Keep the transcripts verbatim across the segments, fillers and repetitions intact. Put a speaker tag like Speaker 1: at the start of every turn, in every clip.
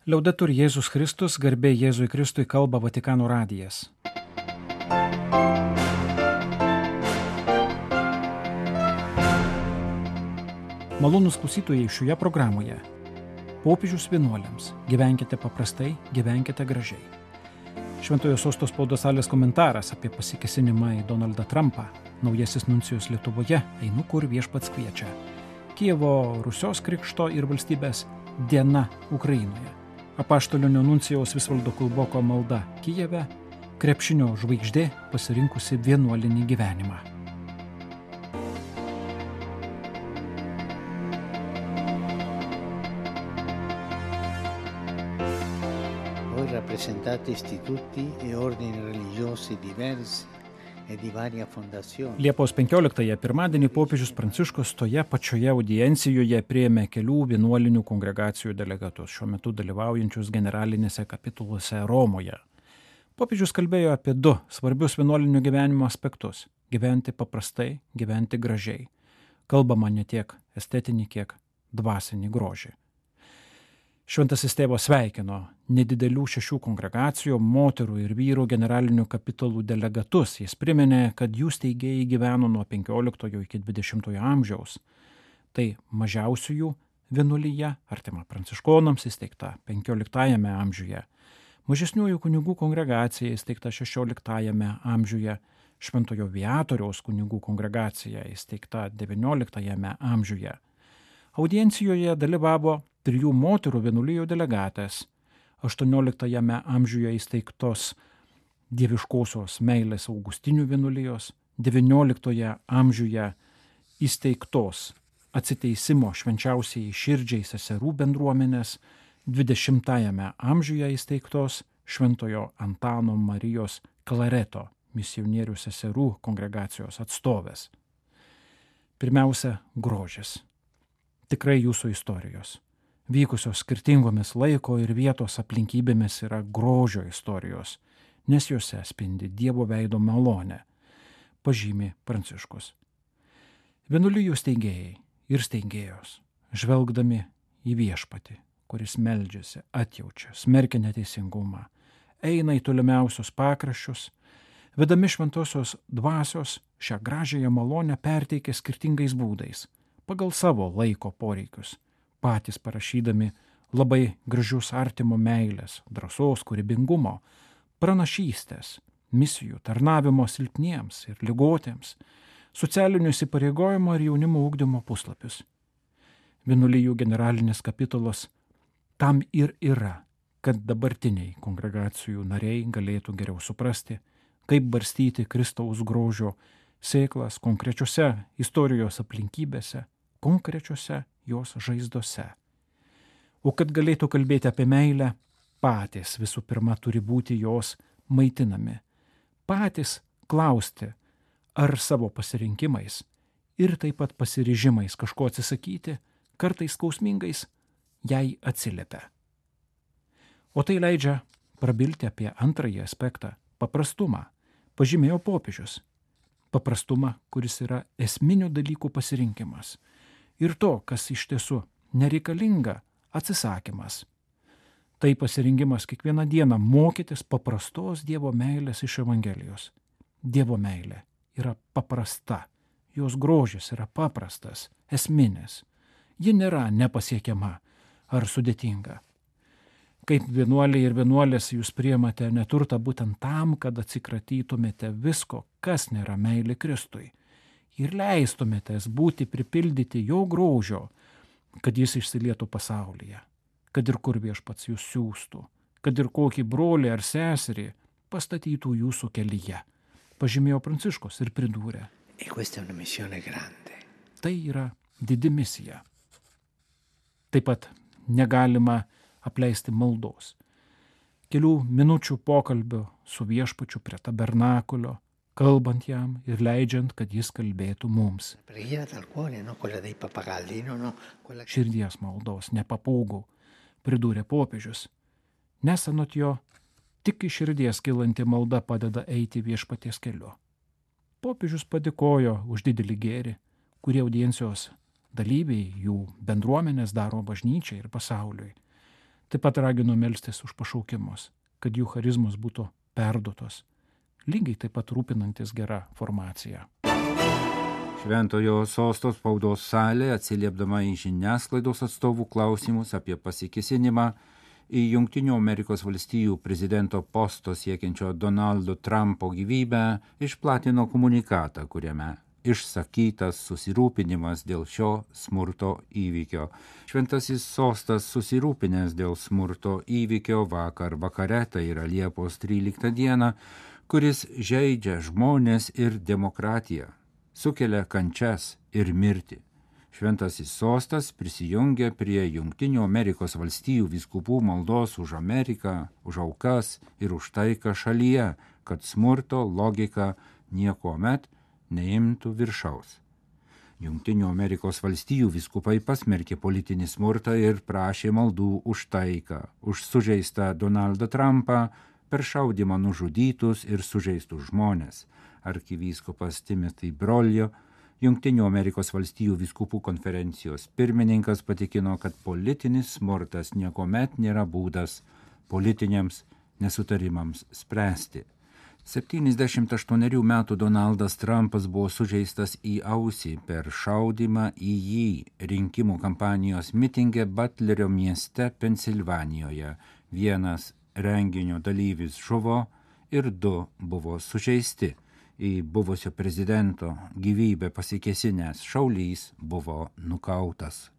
Speaker 1: Liaudetur Jėzus Kristus, garbė Jėzui Kristui, kalba Vatikano radijas. Malonūs klausytojai, šioje programoje popiežius vienuoliams: gyvenkite paprastai, gyvenkite gražiai. Šventojo sosto spaudos salės komentaras apie pasikėsinimą į Donaldą Trumpą. Naujasis nuncijus Lietuvoje: einu kur viešpats kviečia. Kijevo Rusios krikšto ir valstybės diena Ukrainoje. Apaštalinio nuncijaus Visvaldo Kulboko malda Kijeve: krepšinio žvaigždė pasirinkusi vienuolinį gyvenimą.
Speaker 2: Voi rappresentate istituti e ordini religiosi diversi e di varia fondazione.
Speaker 1: Liepos penkioliktąją pirmadienį popiežius Pranciškus toje pačioje audiencijoje priėmė kelių vienuolinių kongregacijų delegatus, šiuo metu dalyvaujančius generalinėse kapituluose Romoje. Popiežius kalbėjo apie du svarbius vienuolinio gyvenimo aspektus: gyventi paprastai, gyventi gražiai. Kalbama ne tiek estetinį, kiek dvasinį grožį. Šventasis tėvas sveikino nedidelių šešių kongregacijų, moterų ir vyrų generalinių kapitulų delegatus. Jis priminė, kad jų steigėjai gyveno nuo penkioliktojo iki dvidešimtojo amžiaus. Tai mažiausiųjų vienuolija, artima pranciškonams, įsteigta penkioliktajame amžiuje. Mažesniųjų kunigų kongregacija įsteigta šešioliktajame amžiuje. Šventojo Viatoriaus kunigų kongregacija įsteigta devynioliktajame amžiuje. Audiencijoje dalyvavo trijų moterų vienuolijų delegatės: aštuonioliktajame amžiuje įsteigtos dieviškosios meilės Augustinių vienuolijos, devynioliktoje amžiuje įsteigtos atsiteisimo švenčiausiai širdžiai seserų bendruomenės, dvidešimtajame amžiuje įsteigtos Šventojo Antano Marijos Klareto misionierių seserų kongregacijos atstovės. Pirmiausia, grožis. Tikrai jūsų istorijos, vykusios skirtingomis laiko ir vietos aplinkybėmis, yra grožio istorijos, nes juose spindi Dievo veido malonė, pažymi Pranciškus. Vienuolijų steigėjai ir steigėjos, žvelgdami į viešpatį, kuris meldžiasi, atjaučia, smerkia neteisingumą, eina į tolimiausius pakraščius, vedami šventosios dvasios, šią gražiąją malonę perteikia skirtingais būdais, pagal savo laiko poreikius, patys parašydami labai gražius artimo meilės, drąsos, kūrybingumo, pranašystės, misijų, tarnavimo silpniems ir ligotiems, socialinių įsipareigojimo ir jaunimo ugdymo puslapius. Vienuolijų generalinis kapitulas tam ir yra, kad dabartiniai kongregacijų nariai galėtų geriau suprasti, kaip barstyti Kristaus grožio sėklas konkrečiose istorijos aplinkybėse, konkrečiose jos žaizdose. O kad galėtų kalbėti apie meilę, patys visų pirma turi būti jos maitinami. Patys klausti, ar savo pasirinkimais ir taip pat pasiryžimais kažko atsisakyti, kartais skausmingais, jai atsiliepia. O tai leidžia prabilti apie antrąjį aspektą – paprastumą, pažymėjo popiežius. Paprastumą, kuris yra esminių dalykų pasirinkimas. Ir to, kas iš tiesų nereikalinga, atsisakymas. Tai pasirinkimas kiekvieną dieną mokytis paprastos Dievo meilės iš Evangelijos. Dievo meilė yra paprasta, jos grožis yra paprastas, esminis. Ji nėra nepasiekiama ar sudėtinga. Kaip vienuoliai ir vienuolės jūs priimate neturtą būtent tam, kad atsikratytumėte visko, kas nėra meilė Kristui, ir leistumėtės būti pripildyti jo grožio, kad jis išsilietų pasaulyje, kad ir kur viešpats jūs siųstų, kad ir kokį brolį ar seserį pastatytų jūsų kelyje, pažymėjo Pranciškus ir pridūrė.
Speaker 2: E questa è una missione grande.
Speaker 1: Tai yra didi misija. Taip pat negalima apleisti maldos. Kelių minučių pokalbio su viešpačiu prie tabernakulio, kalbant jam ir leidžiant, kad jis kalbėtų mums. Širdies maldos, ne papūgų, pridūrė popiežius. Nes anot jo, tik iš širdies kylanti malda padeda eiti viešpaties keliu. Popiežius padėkojo už didelį gėrį, kurį audiencijos dalyviai, jų bendruomenės daro bažnyčiai ir pasauliui. Taip pat ragino melstis už pašaukimus, kad jų charizmos būtų perduotos, lygiai taip pat rūpinantis gera formacija.
Speaker 3: Šventojo sosto spaudos salė, atsiliepdama į žiniasklaidos atstovų klausimus apie pasikėsinimą į Jungtinių Amerikos valstijų prezidento posto siekiančio Donaldo Trumpo gyvybę, išplatino komunikatą, kuriame išsakytas susirūpinimas dėl šio smurto įvykio. Šventasis sostas susirūpinęs dėl smurto įvykio vakar vakare, tai yra Liepos tryliktą dieną, kuris žeidžia žmonės ir demokratiją, sukelia kančias ir mirtį. Šventasis sostas prisijungia prie Jungtinių Amerikos valstijų vyskupų maldos už Ameriką, už aukas ir už taiką šalyje, kad smurto logika niekuomet neimtų viršaus. Jungtinių Amerikos valstijų vyskupai pasmerkė politinį smurtą ir prašė maldų už taiką, už sužeistą Donaldą Trumpą, per šaudymą nužudytus ir sužeistus žmonės. Arkivyskupas Timothy Broglio, Jungtinių Amerikos valstijų vyskupų konferencijos pirmininkas, patikino, kad politinis smurtas niekuomet nėra būdas politiniams nesutarimams spręsti. septyniasdešimt aštuonerių metų Donaldas Trumpas buvo sužeistas į ausį per šaudymą į jį rinkimų kampanijos mitinge Butlerio mieste Pensilvanijoje. Vienas renginio dalyvis žuvo ir du buvo sužeisti. Į buvusio prezidento gyvybę pasikėsinęs šaulys buvo nukautas.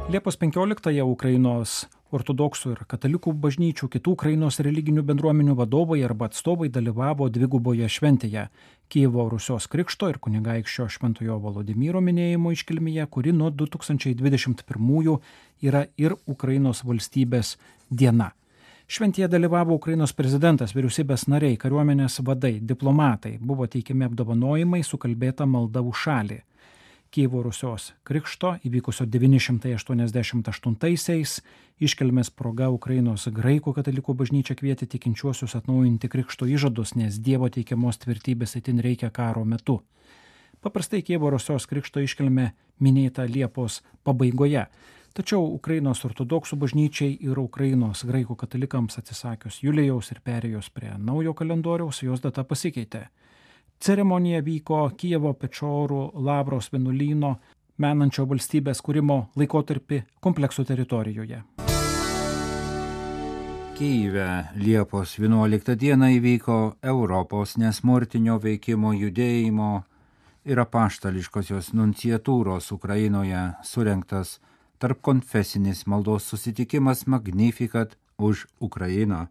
Speaker 1: Liepos penkioliktąją Ukrainos ortodoksų ir katalikų bažnyčių, kitų Ukrainos religinių bendruomenių vadovai arba atstovai dalyvavo dviguboje šventėje Kijevo Rusios krikšto ir kunigaikščio Šventojo Volodymyro minėjimo iškilmėje, kuri nuo du tūkstančiai dvidešimt pirmųjų yra ir Ukrainos valstybės diena. Šventėje dalyvavo Ukrainos prezidentas, vyriausybės nariai, kariuomenės vadai, diplomatai, buvo teikiami apdovanojimai, sukalbėta malda už šalį. Kijevo Rusios krikšto įvykusio devyni šimtai aštuoniasdešimt aštuntaisiais iškilmės proga Ukrainos graikų katalikų bažnyčia kvietė tikinčiuosius atnaujinti krikšto įžadus, nes Dievo teikiamos tvirtybės itin reikia karo metu. Paprastai Kijevo Rusios krikšto iškilmė minėta Liepos pabaigoje, tačiau Ukrainos ortodoksų bažnyčiai ir Ukrainos graikų katalikams atsisakius Julijaus ir perėjus prie naujo kalendoriaus, jos data pasikeitė. Ceremonija vyko Kijevo Pečorų Lavros vienuolyno menančio valstybės kūrimo laikotarpį kompleksų teritorijoje.
Speaker 3: Kijeve Liepos vienuoliktą dieną įvyko Europos nesmurtinio veikimo judėjimo ir apaštališkosios nunciatūros Ukrainoje surengtas tarpkonfesinis maldos susitikimas Magnificat už Ukrainą.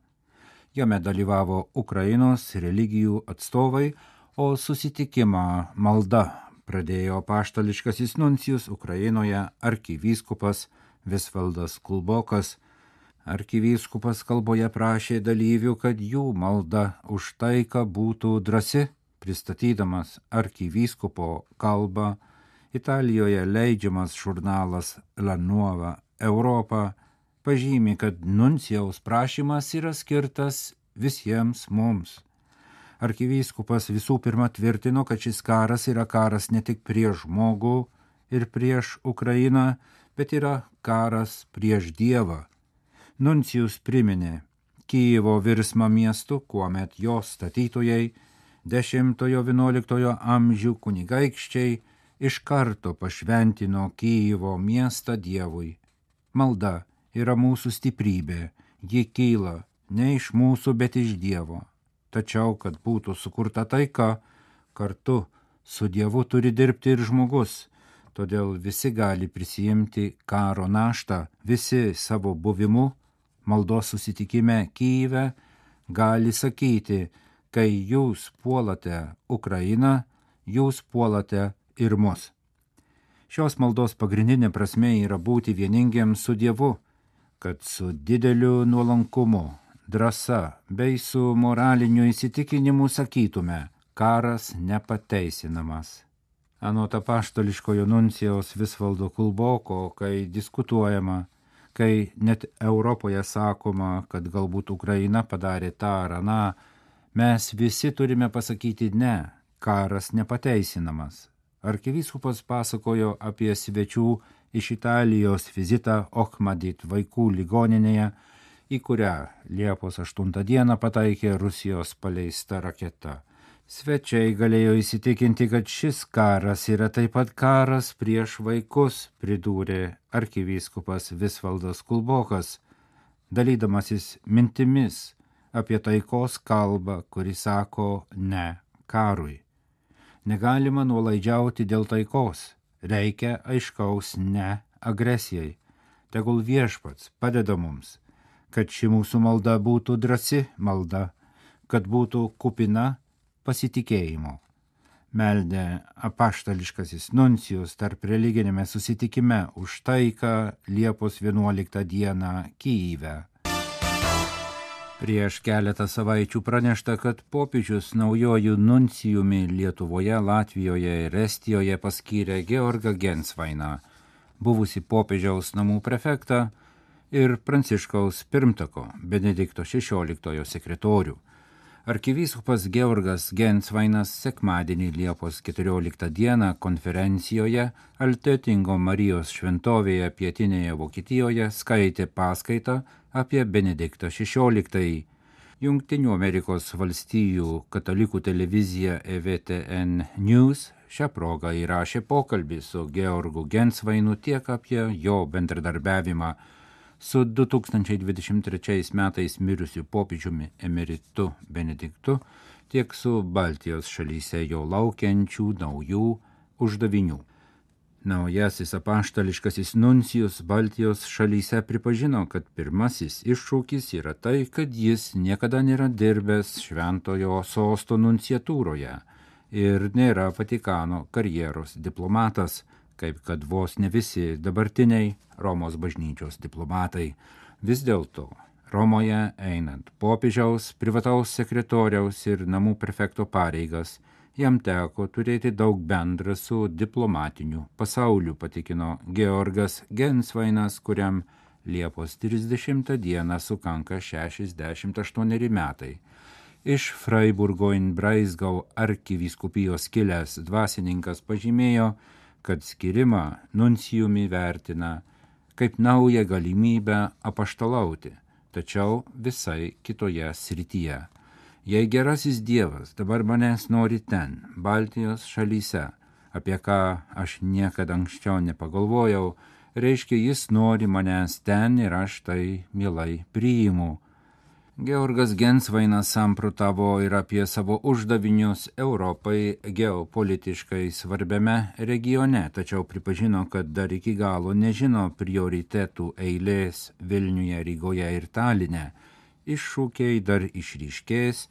Speaker 3: Jame dalyvavo Ukrainos religijų atstovai, o susitikimą malda pradėjo apaštališkasis nuncijus Ukrainoje arkivyskupas Visvaldas Kulbokas. Arkivyskupas kalboje prašė dalyvių, kad jų malda už taiką būtų drąsi. Pristatydamas arkivyskupo kalbą, Italijoje leidžiamas žurnalas La Nuova Europa pažymi, kad nuncijaus prašymas yra skirtas visiems mums. Arkivyskupas visų pirma tvirtino, kad šis karas yra karas ne tik prieš žmogų ir prieš Ukrainą, bet yra karas prieš Dievą. Nuncijus priminė Kijevo virsmą miestu, kuomet jo statytojai dešimtojo-vienuoliktojo amžių kunigaikščiai iš karto pašventino Kijevo miestą Dievui. Malda yra mūsų stiprybė, ji kyla ne iš mūsų, bet iš Dievo. Tačiau, kad būtų sukurta taika, kartu su Dievu turi dirbti ir žmogus. Todėl visi gali prisijimti karo naštą, visi savo buvimu maldos susitikime Kijeve gali sakyti, kai jūs puolate Ukrainą, jūs puolate ir mus. Šios maldos pagrindinė prasmė yra būti vieningiems su Dievu, kad su dideliu nuolankumu, drąsa bei su moraliniu įsitikinimu sakytume, karas nepateisinamas. Anot apaštališkojo nuncijaus Visvaldo Kulboko, kai diskutuojama, kai net Europoje sakoma, kad galbūt Ukraina padarė tą ar aną, mes visi turime pasakyti ne, karas nepateisinamas. Arkivyskupas pasakojo apie svečių iš Italijos vizitą Ochmadit vaikų ligoninėje, į kurią Liepos aštuntą dieną pataikė Rusijos paleista raketa. Svečiai galėjo įsitikinti, kad šis karas yra taip pat karas prieš vaikus, pridūrė arkivyskupas Visvaldas Kulbokas, dalydamasis mintimis apie taikos kalbą, kuri sako ne karui. Negalima nuolaidžiauti dėl taikos, reikia aiškaus ne agresijai. Tegul Viešpats padeda mums, kad ši mūsų malda būtų drąsi malda, kad būtų kupina pasitikėjimo. Meldė apaštališkasis nuncijus tarp religinėme susitikime už taiką Liepos vienuoliktą dieną Kyjive. Prieš keletą savaičių pranešta, kad popiežius naujojų nuncijumi Lietuvoje, Latvijoje ir Estijoje paskyrė Georgą Gensvainą, buvusi popiežiaus namų prefektą ir Pranciškaus pirmtako Benedikto šešioliktojo sekretorių. Arkivyskupas Georgas Gensvainas sekmadienį Liepos keturioliktą dieną konferencijoje Altötingo Marijos šventovėje pietinėje Vokietijoje skaitė paskaitą apie Benediktą šešioliktąjį. Jungtinių Amerikos valstijų katalikų televizija E V T N News šią progą įrašė pokalbį su Georgu Gensvainu tiek apie jo bendradarbiavimą su du tūkstančiai dvidešimt trečiais metais mirusiu popiežiumi emeritu Benediktu, tiek su Baltijos šalyse jo laukiančių naujų uždavinių. Naujasis apaštališkasis nuncijus Baltijos šalyse pripažino, kad pirmasis iššūkis yra tai, kad jis niekada nėra dirbęs Šventojo sosto nunciatūroje ir nėra Vatikano karjeros diplomatas, kaip kad vos ne visi dabartiniai Romos bažnyčios diplomatai. Vis dėlto Romoje einant popiežiaus, privataus sekretoriaus ir namų prefekto pareigas, jam teko turėti daug bendra su diplomatiniu pasauliu, patikino Georgas Gensvainas, kuriam Liepos trisdešimtą dieną sukanka šešiasdešimt aštuoneri metai. Iš Freiburgo in Breisgau arkivyskupijos kilęs dvasininkas pažymėjo, kad skirimą nuncijumi vertina kaip naują galimybę apaštalauti, tačiau visai kitoje srityje. Jei gerasis Dievas dabar manęs nori ten, Baltijos šalyse, apie ką aš niekada anksčiau nepagalvojau, reiškia jis nori manęs ten ir aš tai mielai priimu. Georgas Gensvainas samprotavo ir apie savo uždavinius Europai geopolitiškai svarbiame regione, tačiau pripažino, kad dar iki galo nežino prioritetų eilės Vilniuje, Rygoje ir Taline. Iššūkiai dar išryškės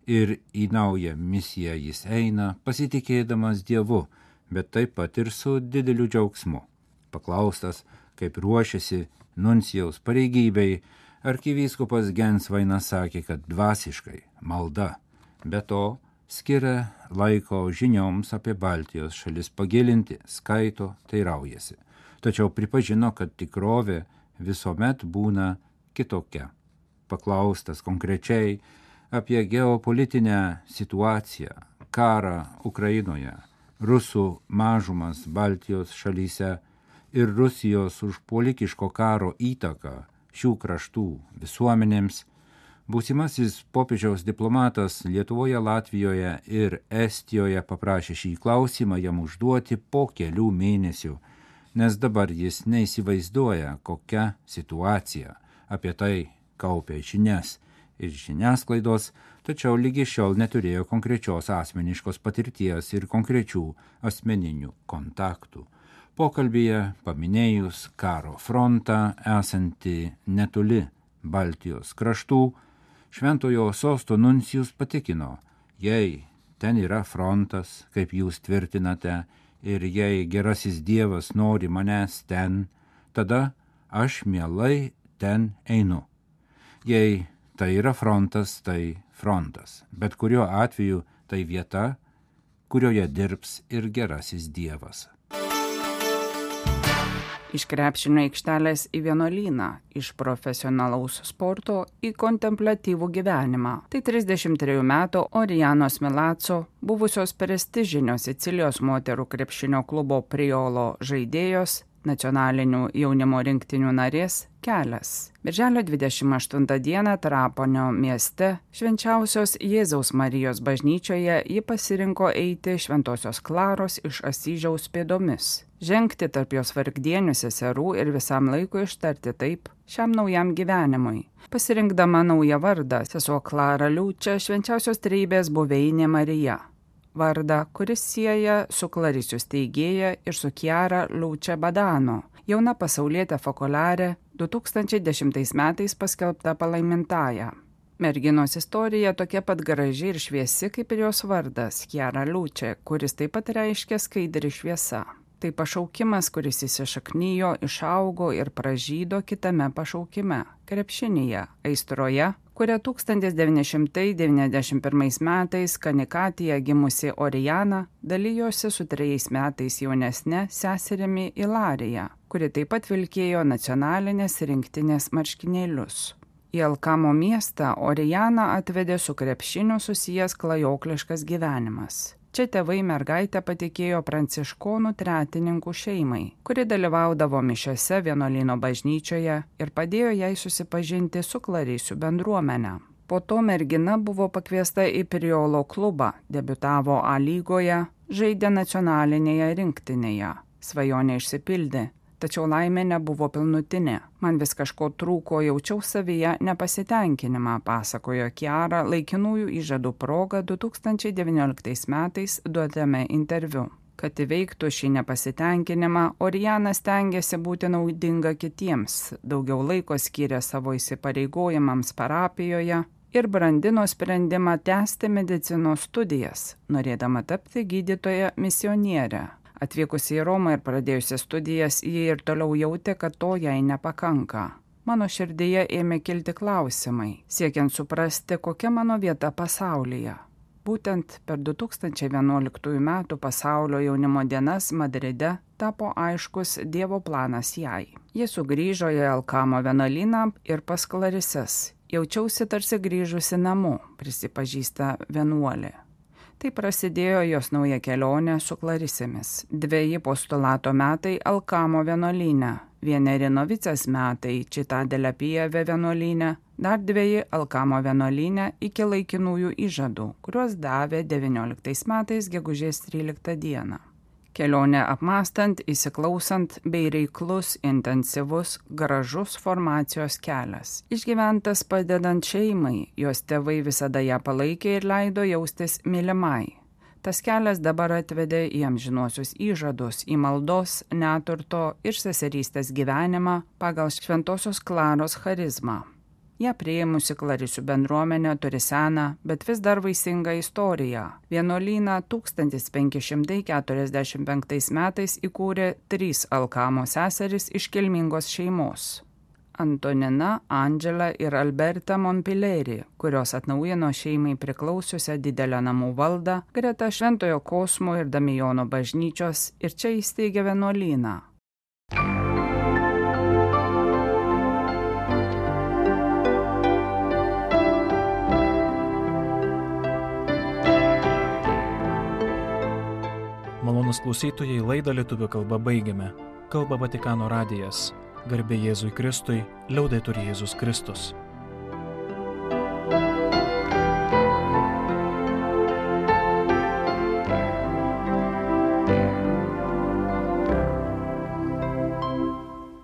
Speaker 3: ir į naują misiją jis eina, pasitikėdamas Dievu, bet taip pat ir su dideliu džiaugsmu. Paklaustas, kaip ruošiasi nuncijaus pareigybei, arkivyskupas Gensvainas sakė, kad dvasiškai malda, be to skiria laiko žinioms apie Baltijos šalis pagilinti, skaito, teiraujasi. Tačiau pripažino, kad tikrovė visuomet būna kitokia. Paklaustas konkrečiai apie geopolitinę situaciją, karą Ukrainoje, rusų mažumas Baltijos šalyse ir Rusijos užpuolikiško karo įtaką šių kraštų visuomenėms, būsimasis popiežiaus diplomatas Lietuvoje, Latvijoje ir Estijoje paprašė šį klausimą jam užduoti po kelių mėnesių, nes dabar jis neįsivaizduoja, kokia situacija. Apie tai kaupė žinias ir žiniasklaidos, tačiau lygi šiol neturėjo konkrečios asmeniškos patirties ir konkrečių asmeninių kontaktų. Pokalbyje paminėjus karo frontą esantį netoli Baltijos kraštų, Šventojo sosto nuncijus patikino, jei ten yra frontas, kaip jūs tvirtinate, ir jei gerasis Dievas nori manęs ten, tada aš mielai ten einu. Jei tai yra frontas, tai frontas, bet kuriuo atveju tai vieta, kurioje dirbs ir gerasis Dievas.
Speaker 4: Iš krepšinio aikštelės į vienuolyną, iš profesionalaus sporto į kontempliatyvų gyvenimą. Tai trisdešimt trejų metų Orianos Milazzo, buvusios prestižinio Sicilijos moterų krepšinio klubo Priolo žaidėjos, nacionalinių jaunimo rinktinių narės kelias. Birželio dvidešimt aštuntą dieną Trapanio mieste Švenčiausios Jėzaus Marijos bažnyčioje ji pasirinko eiti Šventosios Klaros iš Asyžiaus pėdomis, žengti tarp jos vargdienių seserų ir visam laikui ištarti taip šiam naujam gyvenimui. Pasirinkdama naują vardą, sesuo Klara Liučia Švenčiausios Trejybės buveinė Marija. Vardą, kuris sieja su Clarisių steigėja ir su Chiara Liučia Badano, jauna pasaulietė fokuliarė, du tūkstančiai dešimtais metais paskelbta palaimintąja. Merginos istorija tokia pat graži ir šviesi kaip ir jos vardas Chiara Liučia, kuris taip pat reiškia skaidri šviesa. Tai pašaukimas, kuris įsišaknijo, išaugo ir pražydo kitame pašaukime – krepšinyje, aistroje, kurią tūkstantis devyni šimtai devyniasdešimt pirmais metais Kanikatėje gimusi Orijana dalijosi su trejais metais jaunesne seserimi Ilarija, kuri taip pat vilkėjo nacionalinės rinktinės marškinėlius. Į Alkamo miestą Orijana atvedė su krepšiniu susijęs klajokliškas gyvenimas. Čia tėvai mergaitę patikėjo pranciškonų tretininkų šeimai, kuri dalyvaudavo mišiose vienuolyno bažnyčioje ir padėjo jai susipažinti su Clarisių bendruomene. Po to mergina buvo pakviesta į Priolo klubą, debiutavo A lygoje, žaidė nacionalinėje rinktinėje. Svajonė išsipildė, tačiau laimė nebuvo pilnutinė. Man vis kažko trūko, jaučiau savyje nepasitenkinimą, pasakojo Chiara laikinųjų įžadų proga du tūkstančiai devynioliktais metais duotame interviu. Kad įveiktų šį nepasitenkinimą, Orijana stengiasi būti naudinga kitiems, daugiau laiko skyrė savo įsipareigojimams parapijoje ir brandino sprendimą tęsti medicinos studijas, norėdama tapti gydytoja misionierė. Atvykusi į Romą ir pradėjusi studijas, ji ir toliau jautė, kad to jai nepakanka. Mano širdyje ėmė kilti klausimai, siekiant suprasti, kokia mano vieta pasaulyje. Būtent per du tūkstančiai vienuoliktųjų metų pasaulio jaunimo dienas Madride tapo aiškus Dievo planas jai. Ji sugrįžo į Alkamo vienuolyną ir pas Klarises. Jaučiausi tarsi grįžusi namo, prisipažįsta vienuolė. Tai prasidėjo jos nauja kelionė su Klarisėmis. Dveji postulato metai Alkamo vienuolyne, vieneri novicės metai Čitadelė Pijeve vienuolyne, dar dveji Alkamo vienuolyne iki laikinųjų įžadų, kuriuos davė devynioliktais metais gegužės tryliktą dieną. Kelionė apmąstant, įsiklausant bei reiklus, intensyvus, gražus formacijos kelias. Išgyventas padedant šeimai, jos tėvai visada ją palaikė ir leido jaustis mylimai. Tas kelias dabar atvedė į amžinuosius įžadus, į maldos, neturto ir seserystės gyvenimą pagal Šventosios Klaros charizmą. Ją priėmusi Clarisių bendruomenė turi seną, bet vis dar vaisingą istoriją. Vienuolyną tūkstantis penki šimtai keturiasdešimt penktais metais įkūrė trys Alkamo seserys iš kilmingos šeimos. Antonina, Andžela ir Alberta Monpileri, kurios atnaujino šeimai priklausiusią didelę namų valdą greta Šventojo Kosmo ir Damijono bažnyčios ir čia įsteigė vienuolyną.
Speaker 1: Malonūs klausytojai, laidą lietuvių kalba baigiame. Kalba Vatikano radijas. Garbė Jėzui Kristui, liaudetur Jėzus Kristus.